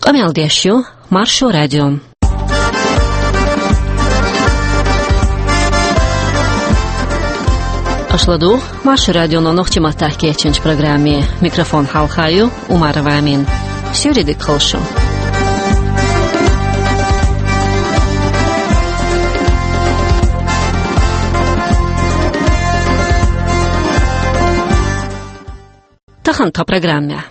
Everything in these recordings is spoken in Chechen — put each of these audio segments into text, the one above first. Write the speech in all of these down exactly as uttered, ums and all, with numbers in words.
Къамел деш ю Маршо радио. Аша ладугӀу Маршо радионо нохчийн маттахь кечйинчу программе. Микрофон хьалха ю Умарова Амина. Суьйре дика хуьлда шун. Тахана тхан программехь.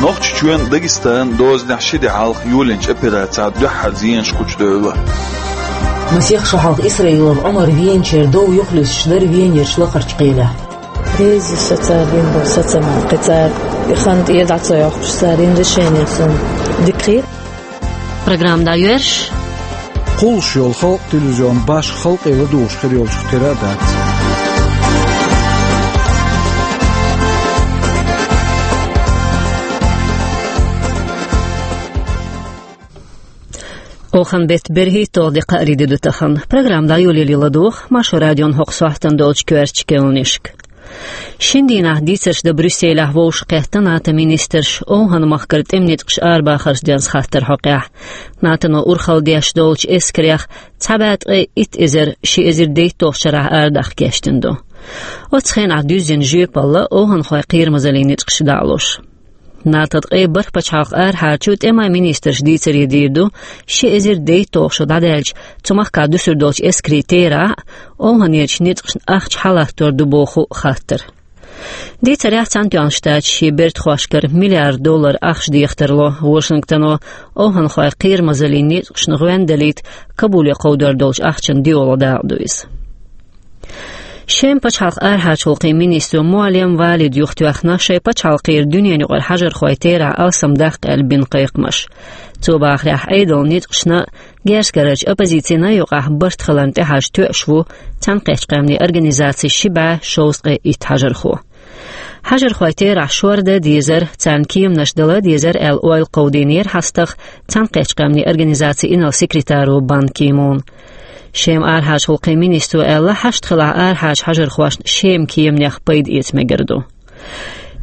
Нохчийчоьнан, Дагестанан дозанехь ши де хьалха йолийначу операцехь дуьххьара зенаш кхучу девлла. Масех шо хьалха Исраилов Ӏумар веначеран дов юхалуьстуш дара Венерчу лакхарчу кхелехь. Реза со цара дина долу сацаман кхин цара и хан тӀера дӀа ца йоккхуш, цара йина решение суна дика хета. Программа дӀайоьрзуш. Кхуллуш йолу халкъан телевизион башха халкъе ладугӀуш хир йолчух тера а дац. Охан беттан берхӀитталгӀа де, кхаарин де ду тахана. Программа дӀайолале ладугӀу Маршо радион хӀокху сохьтана долчу коьртачу кхаьънашка. Шина дийнахь дийцарш дан Брюсселехь вовшахкхетта НАТО-н министраш ОвхӀан-махкара тӀеман ницкъаша арабахарш денз хаттаран хьокъехь. НАТО-но урхалла деш долчу эскарех цхьа бӀе ткъе итт эзар ши эзар дейтталгӀачу шарахь арадаккха кечдина ду. Оццу хенахь дуьззина жоьпалла ОвхӀанхойн кхерамазаллин ницкъаша дӀа а луш. НАТО-н ткъе бархӀ пачхьалкхан арахьарчу тӀеман министраша дийцаре дийр ду, ши эзар дейтталгӀа шо дӀадаьлча, цу махкахь дуьсур долчу эскарийн терахь а, ОвхӀанерчу ницкъашна ахча хьалаттор ду боху хаттар. Дийцарехь, Цхьаьнатоьхна Штаташ шен бертахошкара миллиард доллар ахча дехар тарло Вашингтоно, ОвхӀанхойн кхерамазаллин ницкъашна гӀоьнна далийта Кабуле кховдор долчу ахчанан доьалгӀа дакъа ду иза. Шеман пачхьалкхан арахьарчу гӀуллакхийн министро Муаллем Валида юхатоьхна шайн пачхьалкхера дуьненаюкъара хьажархойн терахь алсамдаккха аьлла бина кхайкхамаш. Цо бахарехь, Ӏедалан ницкъашна а, герзкарарчу оппозицина а юкъахь барт хиларна тӀехьажа тоьуш ву Цхьаьнакхеттачу Къаьмнийн Организацин ши бӀе шовзткъе итт хьажархо. Хьажархойн терахь шордан а дезара, царна кеманаш дала а дезара аьлла, ойла кховдийнера хьастагӀа Цхьаьнакхеттачу Къаьмнийн Организацин инарла секретаро Бан Ки Муна. Шеман арахьарчу гӀуллакхийн министро аьлла, хьашт хилахь арахьарчу хьажархошна Шеман кеманех пайда эца мегар ду.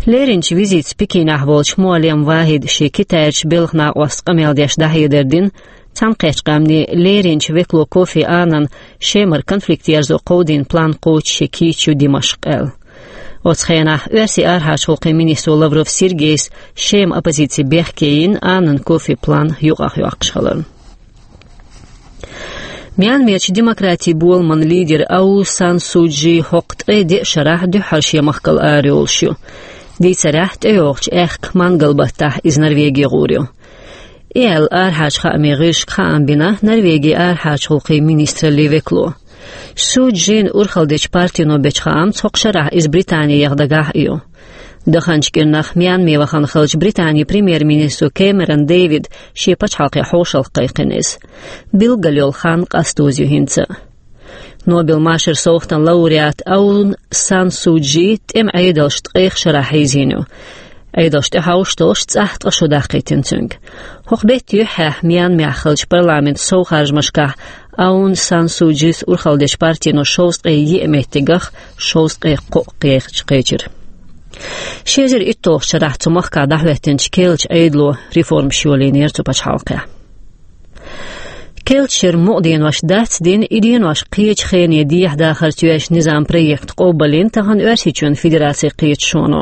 Леринчу визитца Пекинехь волчу Муаллем Вахида шен Китайрчу белхан накъостаца къамел деш дӀахьедар дина, Цхьаьнакхеттачу Къаьмнийн леринчу векало Кофи Аннана Шемара конфликт ерзо кховдийна план кхочуш шен кийча ю Димашкъ аьлла. Оцу хенахь оьрсийн арахьарчу гӀуллакхийн министро Лавров Сергейс Шеман оппозици бехке йина Аннан, Кофин план юкъахь йоккхуш хиларна. Мьянмерчу демократин боламан лидер Аун Сан Су Чжи хӀокху ткъе деа шарахь дуьххьара шен махкал арайолуш ю. Дийцарехь, тӀейогӀучу аьхка мангал баттахь иза Норвеге гӀур ю. И аьлла, арахьарчу хаамийн гӀирсашка хаам бина Норвегин арахьарчу гӀуллакхийн министраллин векало. Су Чжин урхалла дечу партино бечу хаамца, хӀокху шарахь иза Британехь дагахь а ю. Даханчу кӀирнах Мьянме вахана хиллачу Британин премьер-министро Кэмерон Дэвида шен пачхьалкхе хьошалгӀа кхайкхина иза. Билггал йолу хан къастоза ю хӀинца а. Нобелан машаран совгӀатан лауреат Аун Сан Су Чжи тӀеман Ӏедалша ткъех шарахь хьийзийна ю. Ӏедалша тӀехьовш долуш цӀахь ткъа шо даккхийтина цуьнга. ХӀокху беттан юьххьехь Мьянмехь хиллачу парламентан совхаржамашкахь Аун Сан Су Чжис урхалла дечу партино шовзткъе еа меттигах шовзткъе кхоъ кхеча-, кхечира. Ши эзар итталгӀачу шарахь цу махкахь дӀахӀоьттинчу керлачу Ӏедало реформаш йолийнера цу пачхьалкхехь. Керлачу шеран мукъа денош дацдина, и денош кхечу хене дехьадахарца йоьзначу низаман проект къобалйина тахана Оьрсийчоьнан Федерацин кхеташоно.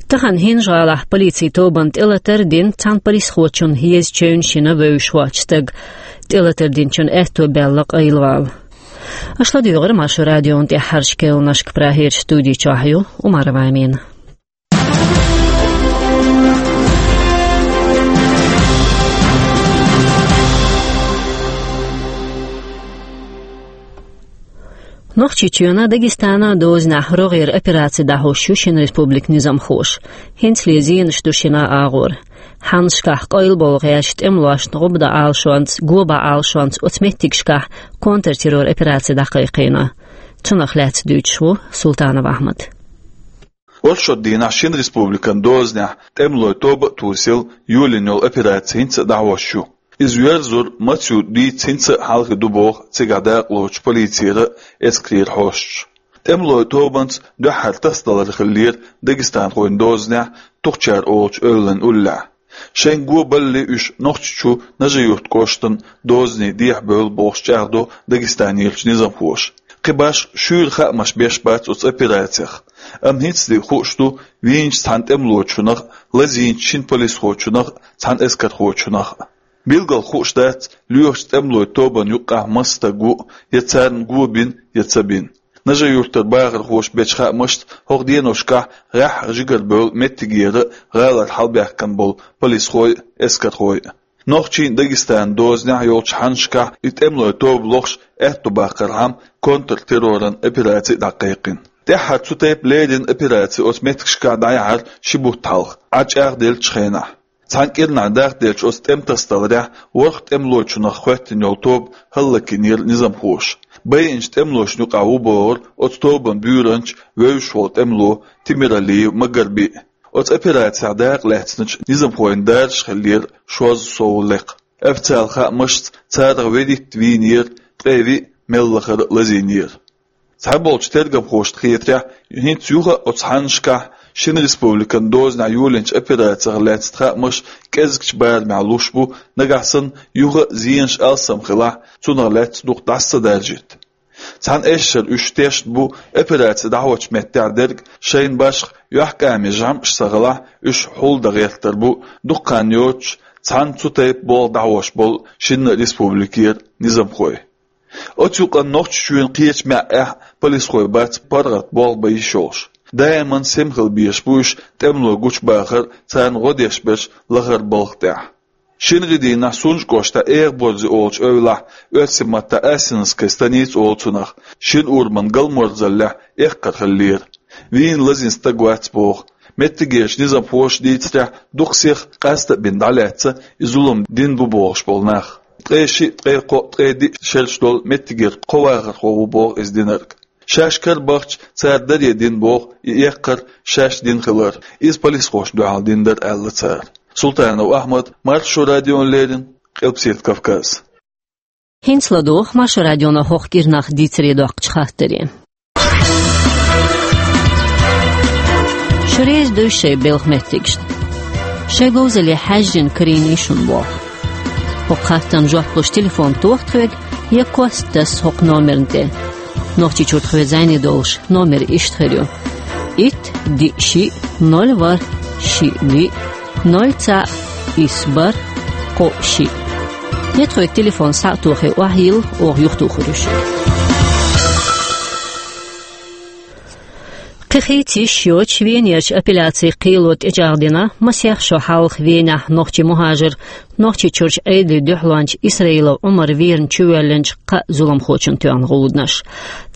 Тахана ХӀинжа-ГӀалахь полицин тобанна тӀелатар а дина, цхьана полисхочунна еза чевнаш йина вевзаш воцчу стага. ТӀелатар динчун аьтто баьлла къайлавала. Аша ладуьйгӀира Маршо радион тӀаьххьарчу кхаьънашка. Прагерчу студи чохь ю Умарова Амина. Нохчийчоьнан, Дагестанан дозанехь рогӀера операци дӀахьош ю шина республикан низамхоша. ХӀинцале зенаш ду шина агӀор. Хьаннашкахь къайлабовла гӀертачу тӀемалошна гӀуба дан Ӏалашонца, го бан Ӏалашонца оцу меттигашкахь контртеррор операци дӀакхайкхийна. Цунах лаьцна дуьйцуш ву Султанов Ахьмад. Оршот дийнахь шина республикан дозанехь тӀемалойн тоба а тосийла, йолийна йолу операци хӀинца а дӀахьош ю. Иза йоьрзур маца ю дийца хӀинца а хьалхе ду боху цигахь дакъалоцучу полицера а, эскарера хьосташа. ТӀемалойн тобанца дуьххьара тасадалар хиллера дагестанхойн дозанехь Тухчар олучу эвлан уллехь. Шайн го балале уьш Нохчийчу Нажи-Юрт кӀоштан дозане дехьабевлла бохуш чӀагӀдо Дагестанерчу низамхоша. Кхин башха шуьйра хаамаш беш бац оцу операцех. Амма хӀинцале хууш ду вийначу цхьана тӀемалочунах а, лазийначу шина полисхочунах а, цхьана эскархочунах а. Билггал хууш дац, лоьхучу тӀемалойн тобанна юккъехь маса стаг ву, я царна го бина, я ца бина. Нажи-Юьртара бахархоша бечу хаамашца, хӀокху деношкахь гӀаьххьа жигара бевлла меттигера а, гӀалара хьалабаьхкина болу полисхой а, эскархой а. Нохчийн, Дагестанан дозанехь йолчу хьаннашкахь и тӀемалойн тоба лохуш аьтто баккхархьама, контртерроран операци а дӀакхайкхина. ТӀаьххьара цу тайпа леррина операци оцу меттигашкахь дӀаяьхьира ши бутт хьалха, Ӏа чӀагӀделлачу хенахь. Цхьана кӀирнахь дахделлачу оцу тӀематасадаларехь ворхӀ тӀемалочунах хӀоьттина йолу тоба хӀаллакйинера низамхоша. Байинчу тӀемалошна юкъахь ву бохура оцу тобанан буьйранча вевзаш волу тӀемало Тимиралиев Магарби а. Оцу операцехь дакъа лаьцначу низамхойн даржаш хиллера шозза сов лекха. Официалан хаамашца, царах ведитта вийнера, ткъе виъ мел лахара а лазийнера. Цхьаболчу тергамхошна хетарехь, хӀинца юха а оцу хьаннашкахь шина республикан дозанехь йолийначу операцех лаьцна хаамаш кӀезигчу барамехь луш бу, нагахь санна юха а зенаш алсам хилахь, цунах лаьцна дукха дӀаса ца даржийта. Цхьана эшшара уьш тешна бу, операци дӀахьочу меттехь дерг шайна башха юьхькӀаме жамӀаш ца хилахь, уьш хьулдан гӀертар бу, дукха хан йоцуш, цхьана цу тайпа болх дӀахьош болу шинна республикера низамхой. Оцу юкъанна Нохчийчоьнан кхечу маьӀӀехь полисхой бац паргӀат болх бан йиш йолуш. Даиман сема хила безаш бу уьш тӀемало гучубахар, царна гӀо деш берш лахара балха тӀехь. Шина гӀи дийнахь Сунжа кӀоштахь Эгаборзе олучу эвлахь оьрсийн маттахь Асиновская станица олу цунах, шина ураман галморзаллехь эккхар хиллера. Вийна лазийна стаг вац боху. Меттигерчу низамхоша дийцарехь, дукха сиха къаста а бина дӀалаьцна и зулам дина бу бохуш болу нах. Ткъе шиъ, ткъе кхоъ, ткъе диъ шераш долу меттигера кхо вахархо ву боху иза динарг. Шаьш карабахча, цара даре дина боху и эккхар шаьш дина хилар. Иза полисхошна дуьхьал дина дара аьлла цара. Султанов Ахьмад, Маршо радиона леррина, Къилбаседа Кавказ. ХӀинца ладогӀа Маршо радионо хӀокху кӀирнах дийцаре доккхучу хаттаре. Шу реза дуй шайн белхан меттигашна? Шайн говзалле хьаьжжина карийний шуна боху. ХӀокху хаттарна жоп луш телефон тоха тхоьга, я кост таса хӀокху номерна тӀе. Нохчийчуьра тхоьца зӀене долуш номер иштта хир ю: итт, диъ, шиъ, ноль, ворхӀ, шиъ, диъ, ноль, цхьаъ, исс, бархӀ, кхоъ, шиъ. Я тхоьга телефон схьа а тохий, охьайилла, оха юхатухур ю шуьга. Кхин хийца йиш йоцуш Венерчу апелляцин кхело тӀечӀагӀдина масех шо хьалха Венехь нохчийн мухӀажар, Нохчийчуьрчу Ӏедалан дуьхьалонча Исраилов Ӏумар верна чувоьллинчу кхаа зуламхочун тоьхна гӀуданаш.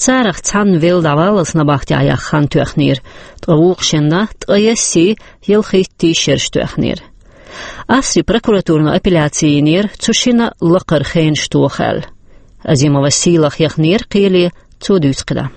Царах цхьанна велла дӀаваллалц набахтехь яккха хан тоьхнера, ткъа вукху шинна ткъаесси, ялхиттий шераш тоьхнера. Австрин прокуратуро апелляци йинера цу шинна лакхара хенаш тоха аьлла. Азимова Сийлаха яхнера кхеле, цо дуьйцу кхидӀа.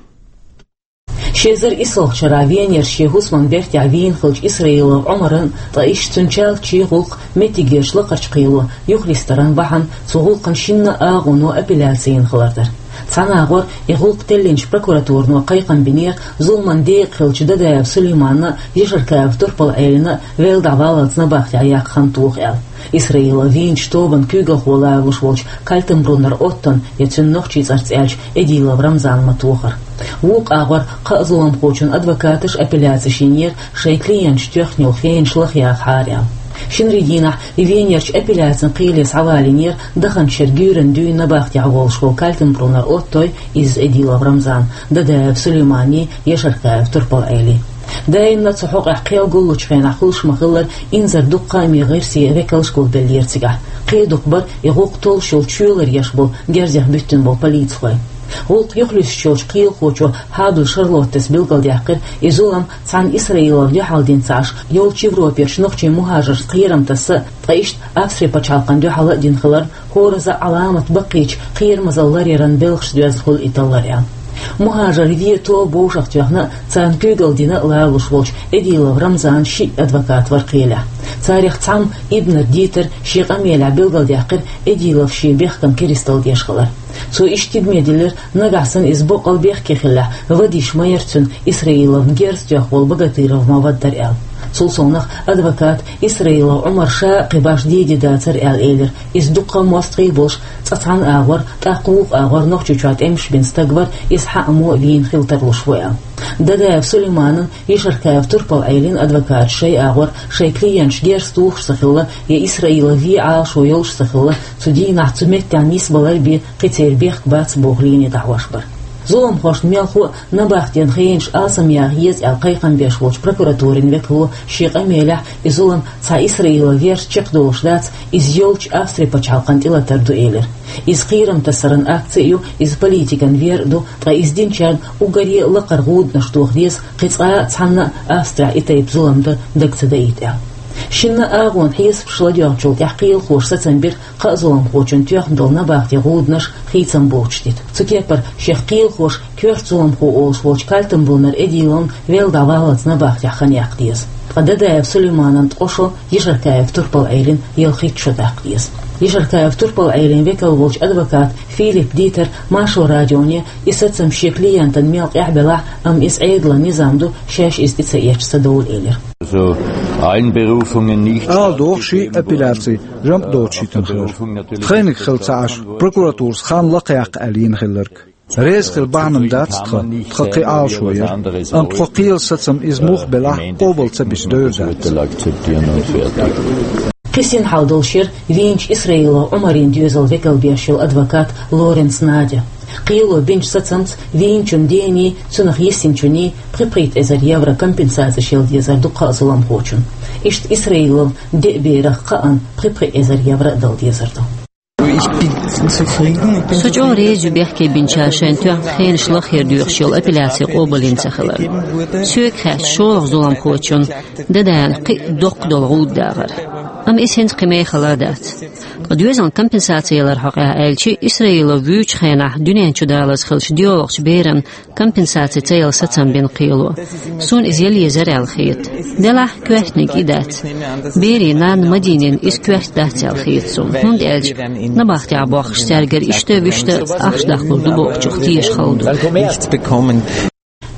Ши эзар исалгӀачу шарахь Венерчу шен хӀусаман бертехь вийна хиллачу Исраилов Ӏумаран, ткъа иштта цуьнан чалчий гӀуллакх меттигерчу лакхарчу кхело юхалистаран бахьана цу гӀуллакхан шинна агӀоно апелляци йина хилар дара. Цхьана агӀор и гӀуллакх теллинчу прокуратуро кхайкхам бинера зуламан декъа хиллачу Дадаев Сулейманна а, Яшаркаев Турпал-Ӏелина а велла дӀаваллалц набахтехь яккха хан тоха аьлла. Исраилов вийначу тобанан куьйгалхо лоруш волчу Кальтенбруннер Оттон, я цуьнан нохчийн цӀарца аьлча Эдилов Рамзан ма-тохара. Вукху агӀор кхаа зуламхочун адвокаташа апелляци йинера шайн клиенташа тоьхна йолу хенаш лахъяхьара аьлла. Шинарин дийнахь и Венерчу апелляцин кхеле схьавалийнера даханчу шеран гуьйранна дуьйна набахтехь волуш волу Кальтенбруннер Оттой, изза Эдилов Рамзан, Дадаев Сулейманий, Яшаркаев Турпал-Ӏелий. Даимна цу хьокъехь кхел гуллучу хенахь хуьлуш ма-хиллара, инзаре дукха хаамийн гӀирсийн векалш гулбеллера цигахь. Кхин дукха бара и гӀуллакх толлуш йолу чоьлар еш болу герзех буьттина болу полицихой. ГӀуллакх юхалуьстуш йолчу кхелахочо Хьабл Шарлоттес билгалдаьккхира, и зулам цхьана Исраиловна дуьхьал дина ца Ӏаш, йолчу Европерчу нохчийн мухӀажаршна кхерам тасса а, ткъа иштта Австрин пачхьалкхана дуьхьал а дина хиларна, хӀоразза а Ӏаламат баккхийчу кхерамазалла ларъяран белхашца доьзна хуьлу и таллар аьлла. МухӀажарш вен тоба вовшахтоьхна а, царна куьйгалла дина а лоруш волчу Эдилов Рамзанан шиъ адвокат вара кхелехь. Царах цхьамма Ибнер Дитера шен къамелехь билгалдаьккхира Эдилов шен бехкам керсталла деш хилар. Цо иштта тидаме диллира, нагахь санна иза боккъал бехке хиллехь, вада йиш ма яра цуьнан Исраиловна герз тоьхна волу Богатыров Маваддар аьлла. Цул совнагӀа адвоката Исраилов Ӏумара ша а кхин башха де дезаш дацар аьлла элира. Иза дуккха а мостагӀий болуш, цкъа цхьана агӀор, тӀаккха вукху агӀор Нохчийчохь тӀемаш бина стаг вара, иза хьаъ а вийна хила тарлуш ву аьлла. Дадаев Сулейманан, Ешаркаев Турпал-Ӏелин адвокаташа шайн агӀор, шайн клиенташ герз тухуш ца хилла я Исраилов вен Ӏалашо йолуш ца хилла, цу дийнахь цу меттехь нисбалар бен кхин церан бехк бац боху линий дӀахьош бара. Зуламхошна мелхо а набахтен хенаш алсамъяха еза аьлла кхайкхам беш волчу прокуратурин векало шен къамелехь, и зулам цхьа Исраилов верца чекхдолуш дац, иза йолчу Австри пачхьалкхана тӀелатар ду элира. Иза кхерам тасаран акци а ю, иза политикан вер а ду, ткъа иза динчарна уггаре а лакхара гӀуданаш тоха деза, кхин цкъа а цхьанна а Австрехь и тайпа зулам дан дага ца даийта аьлла. Шинна а агӀонан хьесапаш ладоьгӀначул тӀаьхьа кхелахоша сацам бира кхаа зуламхочунна тоьхна долу набахтен гӀуданаш хийцам боцуш дита. Цу кепара шех кхелахоша коьрта зуламхо олуш волчу Кальтенбруннер Эдиловна велла дӀаваллалц набахтехь хан яккха деза. Ткъа Дадаев Сулейманан ткъа шо, Ешаркаев Турпал-Ӏелин ялхитта шо даккха деза. Ешаркаев Турпал-Ӏелин векал волчу адвоката Филипп Дитера Маршо радионе и сацам шен клиентана мел къахьбелахь а, амма иза Ӏедалан низам ду, шаьш иза тӀе ца эцча ца довла элира. Also, Einberufungen nicht. Ала доху ши апелляци жамӀ доцуш йитина хилар. Тхайниг хила ца Ӏаш, прокуратурас хан лакхаяккха аьлла йина хилларг. Реза хила бахьана дац тхан, тхан кхин Ӏалашо яра. Амма тхо кхелан сацам иза муха белахь а къобал ца бича девр дац. Кхин синхьалдолуш яра вийначу Исраилов Ӏумаран доьзалан векал беш йолу адвокат Лоренц Надя. Кхело бинчу сацамца вийначун дений, цунах йисинчуний пхи-пхийтта эзар евро компенсацеш яла дезар ду кхаа зуламхочунна. Иштта Исраилов деа берах кхаанна пхи-пхи эзар евро а дала дезар ду. Со чӀогӀа реза ю бехке бинчара шайна тоьхна хенаш лахъяр доьхуш йолу апелляци къобалйина ца хилар. Соьга хаьттича, шолгӀа зуламхочунна, Дадаевна, кхин а доккха долу гӀуда дагӀара. Амма иза хӀинца кхин мехала а дац. Ткъа доьзална компенсаци яларан хьокъехь аьлча, Исраилов вуьйчу хенахь дуьнен чу далаза хиллачу доьалгӀачу берана компенсаци ца яла сацам бина кхело. Суна иза яла езара аьлла хета. Делахь, коьртаниг и дац. Берийн нанна Мадинина иза коьрта дац аьлла хета суна, хӀунда аьлча набахтехь бохкуш цаьргара иштта а, вуьшта а ахча даккхалур ду бохучух теша хала ду.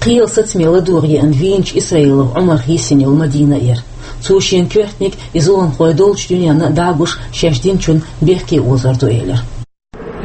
Кхелан сацаме ладогӀа еана вийначу Исраилов Ӏумарах йисина йолу Мадина а яра. Цо шена коьртаниг и зуламхой долчу дуьненна а дӀа а гуш, шаьш динчунна бехке озор ду элира.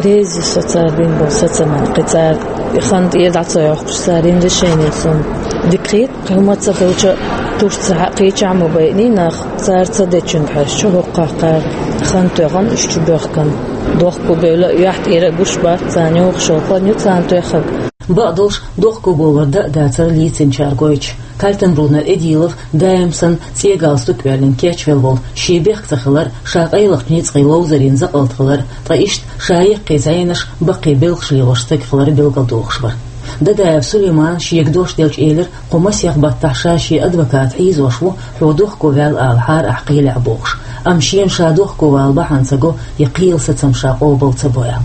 Реза ю со цара бина болу сацамна, кхин цара и хан тӀера дӀа ца йоккхуш, цара йина решени суна дика хета. Кхин хӀума ца хилча, туьрца хьа кхечахь ма байъиний нах, цара ца дечуьнга хьаьжча, хӀокху кхара хан тоьхна, уьш чу боьхкина. Дохко бевлла а, юьхь тӀера а гуш бац царна, юха шовкъан ю царна тоьхнарг. Бакъдолуш, дохко бовлар дан а дацара лийцинчара гойтуш. Кальтенбруннер Эдилов даим санна цӀе галстук оьллина кечвелла волу, шен бехк ца хилар, ша къайлахчу ницкъийн ловзарийн закъалт хилар, ткъа иштта ша яккхий зӀенаш, баккхий белхаш лелош стаг хилар билгалдохуш вара. Дадаев Сулеймана шега дош делча элира, кху масех баттахь ша шен адвокат хьийзош ву, хьо дохко ваьлла алахьара ахь кхелехь бохуш. Амма шена ша дохко вала бахьана ца го я кхелан сацам ша къобал ца бо аьлла.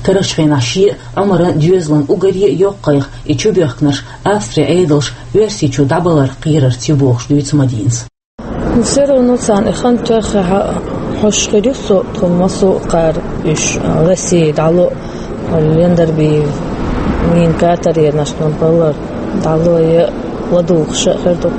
Карарчу хенахь шен а, Ӏумаран а доьзалан уггаре а йоккхайх и чубоьхкинарш Австрин Ӏедалш Оьрсийчу дӀабаларх кхерарца ю бохуш дуьйцу Мадинас. Ну, всё равно царна и хан тоьххьехь хьожуш хир ю со, тхуна массо а кхара уьш, а, Россия дӀало а, Лендерби, мин катаренаш тхуна балар дӀало а, я ладугӀуш а хир ду.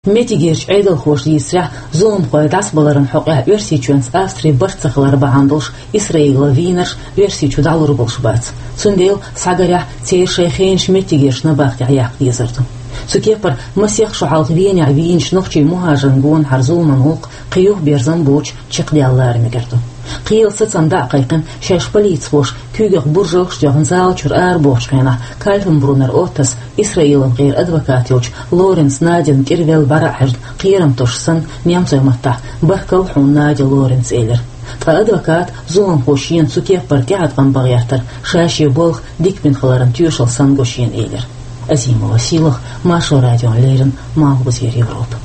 Меттигерчу Ӏедалхоша дийцарехь, зуламхой дӀасабаларан хьокъехь Оьрсийчоьнца Австрин барт ца хилар бахьана долуш Исраило вийнарш Оьрсийчу дӀалур болуш бац. Цундела, схьагарехь, церан шайн хенаш меттигерчу набахтехь яккха дезар ду. Цу кепара масех шо хьалха Венехь вийначу нохчийн мухӀажарийн гонахара зуламан гӀуллакх кхин юха берзан боцуш чекхдаьлла лара мегар ду. Кхелан сацам дӀа а кхайкхина, шаьш полицихоша куьйгах буржалгаш а тоьхна зала чуьра арабохучу хенахь, Кальтенбруннер Оттос, Исраилан гӀера адвокат йолчу Лоренц Надина кӀира велла бӀаьра а хьаьжна, кхерам тосуш санна, немцойн маттахь: «Баркалла хьуна, Надя Лоренц», — элира. Ткъа адвоката зуламхо шена цу кеппара тӀеӀаткъам бан гӀертар ша шен болх дика бина хиларан тоьшалла санна го шена элира. Азимова Сийлаха, Маршо радиона леррина, Малхбузера Европа.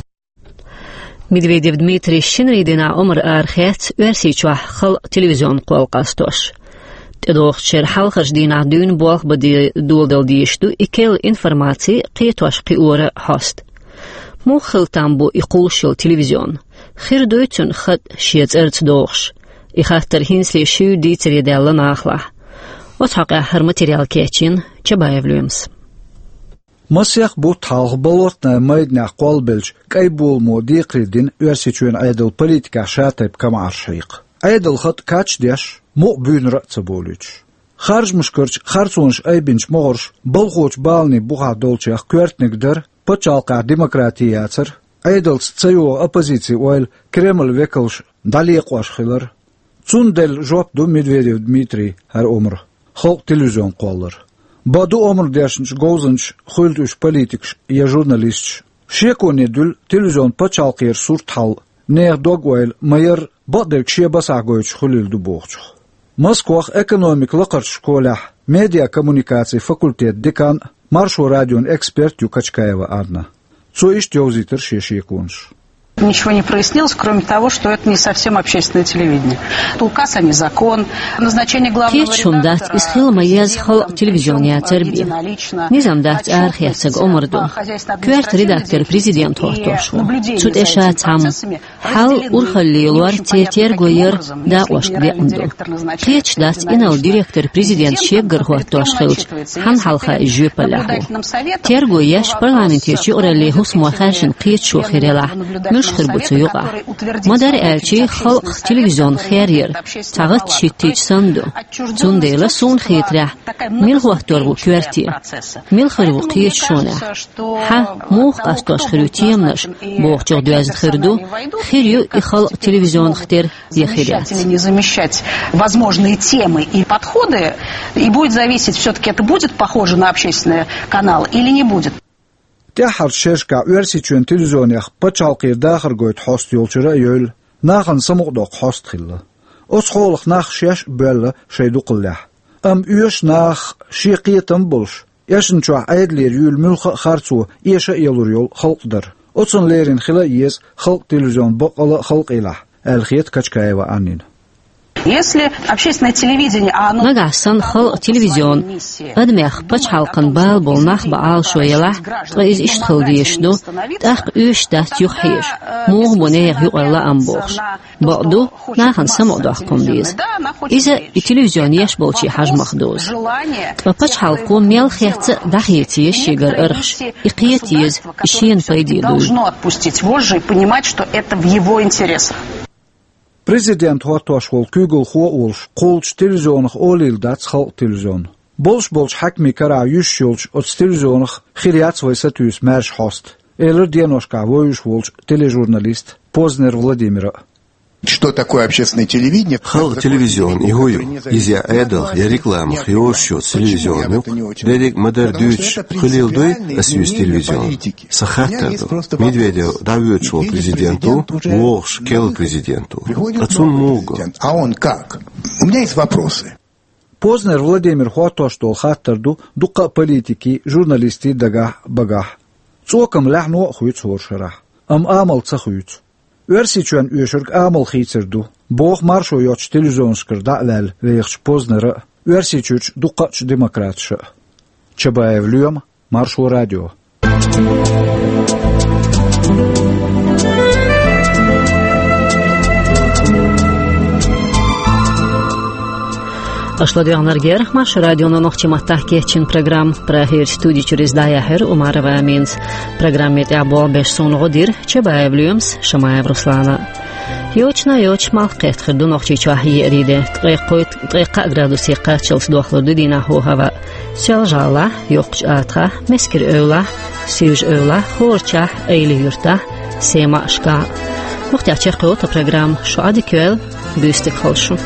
Медведев Дмитрий шинарин дийнахь омра арахецна Оьрсийчохь хала телевизионан кхол къастош. ТӀедогӀучу шеран хьалхарчу дийнахь дуьйна болх бан де-, доладала дезаш ду и керла информаци кхетош-кхиоран хьоста. Муха хила там бу и кхуллуш йолу телевизион? Хир дуй цуьнан хатӀ шен цӀарца дохуш? И хаттар хӀинцале шуьйра дийцаре даьлла нахалахь. Оцу хьокъехь хӀара материал кечйина Чабаев Лоьмас. Масех бутт хьалха болотнай майданехь кхоллабелча кӀайн боламо декхаре дина Оьрсийчоьнан Ӏедалан политикехь шатайпа камаьрш хьекха. Ӏедалан хатӀ кхачдеш, мукъа буьйнара а ца болуьйтуш. Харжамашкарчу харцонаш айбинчу могӀарша балхочу баланийн бухахь долчех коьртаниг дара пачхьалкхехь демократи яцар, Ӏедалца ца йогӀу оппозицин ойла Кремлан векалша дӀалекъош хилар. Цунна делла жоп ду Медведев Дмитрий хӀара омра, халкъан телевизион кхоллар. Бакъду, омра дешначу говзанчаша хуьлда уьш политикаш я журналисташ, шеконе дуьллу телевизион пачхьалкхера сурт хьал, нехан дог-ойла ма-ярра, бакъдерг шен басахь гойтуш хуьлийла ду бохучух. Москвахь экономикан лакхарчу школехь медиакоммуникацийн факультетан декан а, Маршо радион эксперт а ю Качкаева Анна. Цо иштта йовзийтира шен шеконаш. Ничего не прояснилось, кроме того, что это не совсем общественное телевидение. Это указ, а не закон. Назначение главного... Кхечу хӀума дац, иза хила ма еза халкъан телевизион яцар бен. Низам дац арахецнарг омра ду. Коьрта редактор президент хӀоттош ву. Цу тӀе ша цхьамма. Хьал урхалле лор, церан терго яр дакъошка декъна ду. Кхеташ дац, инарла директор президент шеггара хӀоттош хилча, хьанна хьалха иза жоьпаллехь ву. Терго еш парламентерчу юкъараллин хӀусамо хаьржина кхеташо хир елахь, муьлш хир бу цу юкъахь. Ма-дарра аьлча, халкъан телевизион хер яр цхьа гӀатташ хӀиттийча санна ду. Цундела, суна хетарехь, мила хӀоттор ву коьрте? Мила хир ву кхеташонехь? Хьан, муха къастош хир ю теманаш, бохучух доьзна хир ду, хир ю и халкъан телевизионах тера я хир яц. Не замещать возможные темы и подходы, и будет зависеть, всё-таки это будет похоже на общественный канал или не будет. ТӀаьххьарчу шерашкахь Оьрсийчоьнан телевизионех пачхьалкхера дахар гойту хьоста йолчуьра а евлла, нахана самукъадоккху хьоста хилла. Оцу хьолах нах шаьш а боьлла шайн дукхаллехь. Амма оьшу нахах шен кхетам а болуш, эшначохь Ӏедалера юьйлу муьлхха а харцо эша а ялур йолу халкъ дара. Оцунна леррина хила а еза халкъан телевизион баккъалла а халкъалахь, аьлла хета Качкаева Аннина. Если общественное телевидение, а оно... Нагахь санна халкъан телевизион адамех, пачхьалкхан бала болу нах бан Ӏалашо елахь, ткъа иза иштта хила дезаш ду, тӀаккха оьшуш дац юхахьежа, муха бу нехан юкъара лаам бохуш. Бакъду, нахана самукъадоккху хӀума деза. Иза и телевизион еш болчийн хьажамах дузу. Ткъа пачхьалкхо мел хетта а дӀахеца еза шегара арахьаш, и кхета еза, и шена пайде дуй. Должно отпустить вожжи и понимать, что это в его интересах. Президент хӀоттош волу куьйгалхо а волуш, кхуллучу телевизионах олийла дац халкъан телевизион. Болуш болчу хьаькамийн карахь юьсуш йолчу оцу телевизионах хир яц вай сатуьйсу маьрша хьоста, элира деношкахь вевзаш волчу тележурналиста Познер Владимира. Что такое общественное телевидение? Халкъан телевизион и хӀун ю? Иза я Ӏедалх, я рекламах йозуш йоцу телевизион ю-кх. Дерриг а ма-дарра дуьйцуш, хуьлийла дуй ас юьйцу телевизион? Сан хаттар ду. Медведев дӀавоьдуш волу президент ву, вогӀуш керла президент ву. Ткъа цунна муха го? А он как? У меня есть вопросы. Познер Владимира хӀоттош долу хаттар ду дуккха а политикийн, журналистийн дагахь а, багахь а. ЦӀокъам лаьхьано а хуьйцу хӀора шарахь, амма амал ца хуьйцу. Оьрсийчоьнна оьшург амал хийцар ду, боху маршо йоцучу телевизионашкара дӀа а ваьлла вехачу Познера а, Оьрсийчуьрчу дуккхачу демократаша а. Чабаев Лоьма, Маршо радио. Аша ладоьгӀнарг яра Маршо радионо нохчийн маттахь кечйина программа. Прагерчу студи чуьра иза дӀаяьхьира Умарова Аминас. Программе тӀехь болх беш суна гӀо дира Чабаев Лоьмас, Шамаев Руслана. Йочана йоча малх кхетта хир ду Нохчийчохь еарин де. Ткъе кхойтта, ткъе кхаа градусе кхаччалц дохлур ду дийнахь хӀаваъ. Сел-ЖӀаллахь, Йоккхачу АтагӀахь, Мескаран-Эвлахь, Сивжа-Эвлахь, ХӀорачахь, Айли-Юьртахь, Семашкахь. Мухтех чекхйолу тхан программа. Шу Ӏадика йойла, буьйса дика хуьлда шун.